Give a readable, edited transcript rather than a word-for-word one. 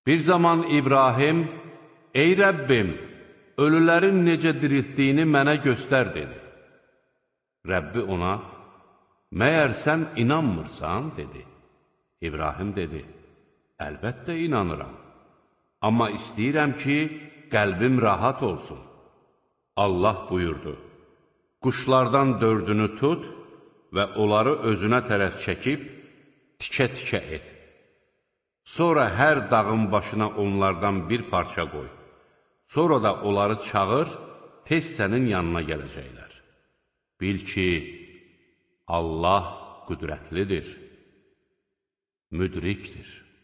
Bir zaman İbrahim, ey Rəbbim, ölülərin necə diriltdiyini mənə göstər, dedi. Rəbbi ona, məyər sən inanmırsan, dedi. İbrahim dedi, əlbəttə inanıram, amma istəyirəm ki, qəlbim rahat olsun. Allah buyurdu, quşlardan 4-ünü tut və onları özünə tərəf çəkib, tikə-tikə et. Sonra hər dağın başına onlardan bir parça qoy. Sonra da onları çağır, tez sənin yanına gələcəklər. Bil ki, Allah qüdrətlidir, müdrikdir.